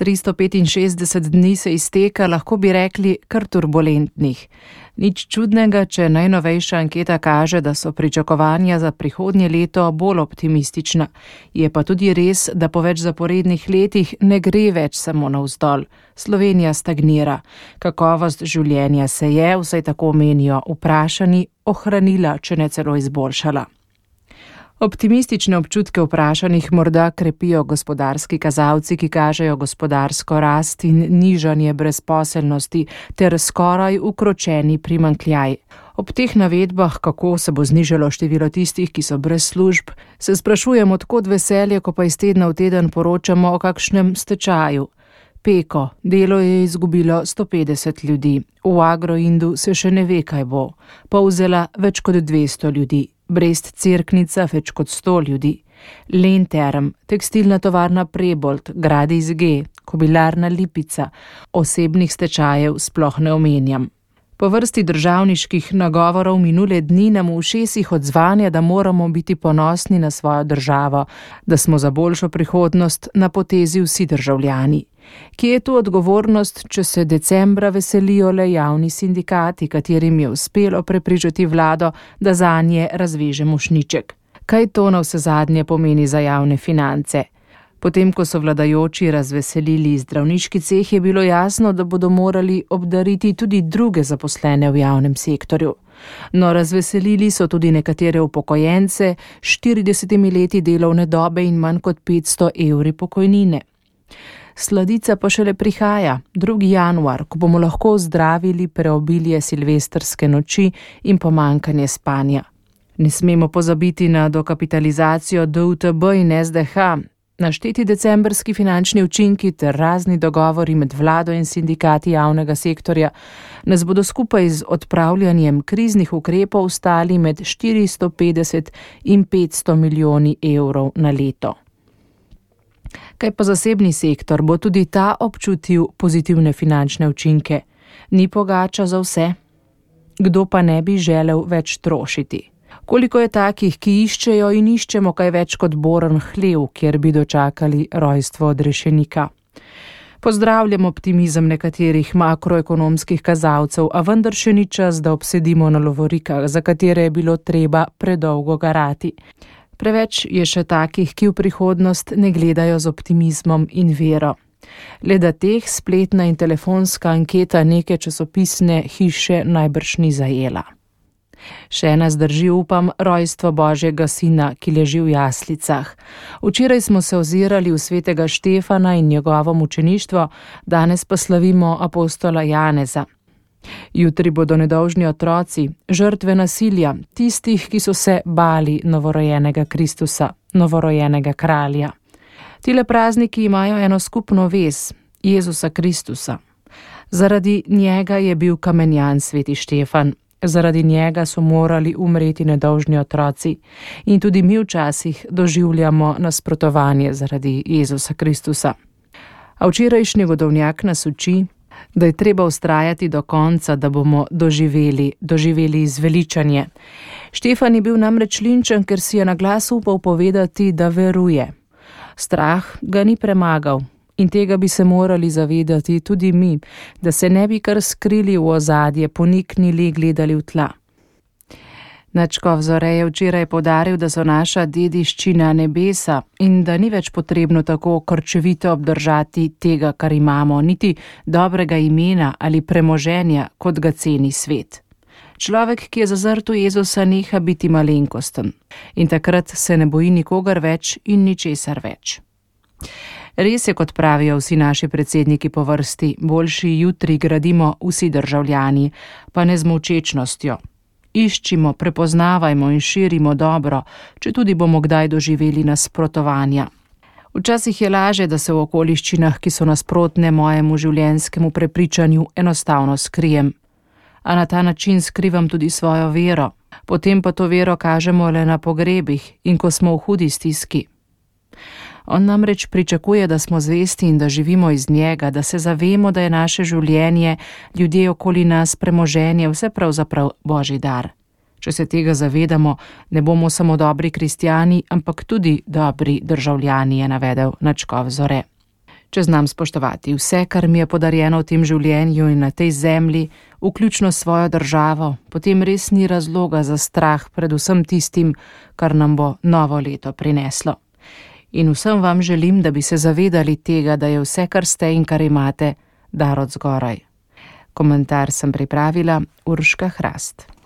365 dni se izteka, lahko bi rekli, kar turbulentnih. Nič čudnega, če najnovejša anketa kaže, da so pričakovanja za prihodnje leto bolj optimistična. Je pa tudi res, da po več zaporednih letih ne gre več samo navzdol. Slovenija stagnira. Kakovost življenja se je, vsaj tako menijo vprašani, ohranila, če ne celo izboljšala. Optimistične občutke vprašanih morda krepijo gospodarski kazalci, ki kažejo gospodarsko rast in nižanje brezposelnosti ter skoraj ukročeni primanjkljaj. Ob teh navedbah, kako se bo znižalo število tistih, ki so brez služb, se sprašujem, od kod veselje, ko pa iz tedna v teden poročamo o kakšnem stečaju. Peko, delo je izgubilo 150 ljudi, v Agroindu se še ne ve, kaj bo. Polzela več kot 200 ljudi. Brest-Cerknica več kot 100 ljudi, Lenterm, tekstilna tovarna Prebold, Gradis G, kobilarna Lipica, osebnih stečajev sploh ne omenjam. Po vrsti državniških nagovorov minule dni nam v ušesih odzvanja, da moramo biti ponosni na svojo državo, da smo za boljšo prihodnost na potezi vsi državljani. Kje je tu odgovornost, če se decembra veselijo le javni sindikati, katerim je uspelo prepričati vlado, da zanje razveže mošnjiček? Kaj to na vse zadnje pomeni za javne finance? Potem, ko so vladajoči razveselili zdravniški ceh, je bilo jasno, da bodo morali obdariti tudi druge zaposlene v javnem sektorju. No, razveselili so tudi nekatere upokojence s 40 leti delovne dobe in manj kot 500 evri pokojnine. Sladica pa šele prihaja, 2. januar, ko bomo lahko zdravili preobilje silvestrske noči in pomanjkanje spanja. Ne smemo pozabiti na dokapitalizacijo DUTB in SDH, našteti decembrski finančni učinki ter razni dogovori med vlado in sindikati javnega sektorja nas bodo skupaj z odpravljanjem kriznih ukrepov stali med 450 in 500 milijoni evrov na leto. Kaj pa zasebni sektor, bo tudi ta občutil pozitivne finančne učinke? Ni pogača za vse? Kdo pa ne bi želel več trošiti? Koliko je takih, ki iščejo in iščemo kaj več kot boren hlev, kjer bi dočakali rojstvo odrešenika? Pozdravljam optimizem nekaterih makroekonomskih kazalcev, a vendar še ni čas, da obsedimo na lovorikah, za katere je bilo treba predolgo garati. Preveč je še takih, ki v prihodnost ne gledajo z optimizmom in vero. Le da teh spletna in telefonska anketa neke časopisne hiše najbrž ni zajela. Še ena zdrži, upam, rojstvo Božjega sina, ki leži v jaslicah. Včeraj smo se ozirali v svetega Štefana in njegovo mučeništvo, danes pa slavimo apostola Janeza. Jutri bodo nedolžni otroci, žrtve nasilja, tistih, ki so se bali novorojenega Kristusa, novorojenega kralja. Tile prazniki imajo eno skupno vez, Jezusa Kristusa. Zaradi njega je bil kamenjan sveti Štefan, zaradi njega so morali umreti nedolžni otroci in tudi mi včasih doživljamo nasprotovanje zaradi Jezusa Kristusa. A včerajšnji godovnjak nas uči, da je treba vztrajati do konca, da bomo doživeli izveličanje. Štefan je bil namreč linčen, ker si je na glas upal povedati, da veruje. Strah ga ni premagal in tega bi se morali zavedati tudi mi, da se ne bi kar skrili v ozadje, poniknili, gledali v tla. Nadškof Zore je včeraj poudaril, da so naša dediščina nebesa in da ni več potrebno tako krčevito obdržati tega, kar imamo, niti dobrega imena ali premoženja, kot ga ceni svet. Človek, ki je zazrt v Jezusa, neha biti malenkosten in takrat se ne boji nikogar več in ničesar več. Res je, kot pravijo vsi naši predsedniki po vrsti, boljši jutri gradimo vsi državljani, pa ne z molčečnostjo. Iščimo, prepoznavajmo in širimo dobro, če tudi bomo kdaj doživeli nasprotovanja. Včasih je laže, da se v okoliščinah, ki so nasprotne mojemu življenjskemu prepričanju, enostavno skrijem. A na ta način skrivam tudi svojo vero. Potem pa to vero kažemo le na pogrebih in ko smo v hudi stiski. On namreč pričakuje, da smo zvesti in da živimo iz njega, da se zavemo, da je naše življenje, ljudje okoli nas, premoženje, vse pravzaprav Božji dar. Če se tega zavedamo, ne bomo samo dobri kristjani, ampak tudi dobri državljani, je navedel nadškof Zore. Če znam spoštovati vse, kar mi je podarjeno v tem življenju in na tej zemlji, vključno s svojo državo, potem res ni razloga za strah pred vsem tistim, kar nam bo novo leto prineslo. In vsem vam želim, da bi se zavedali tega, da je vse, kar ste in kar imate, dar od zgoraj. Komentar sem pripravila Urška Hrast.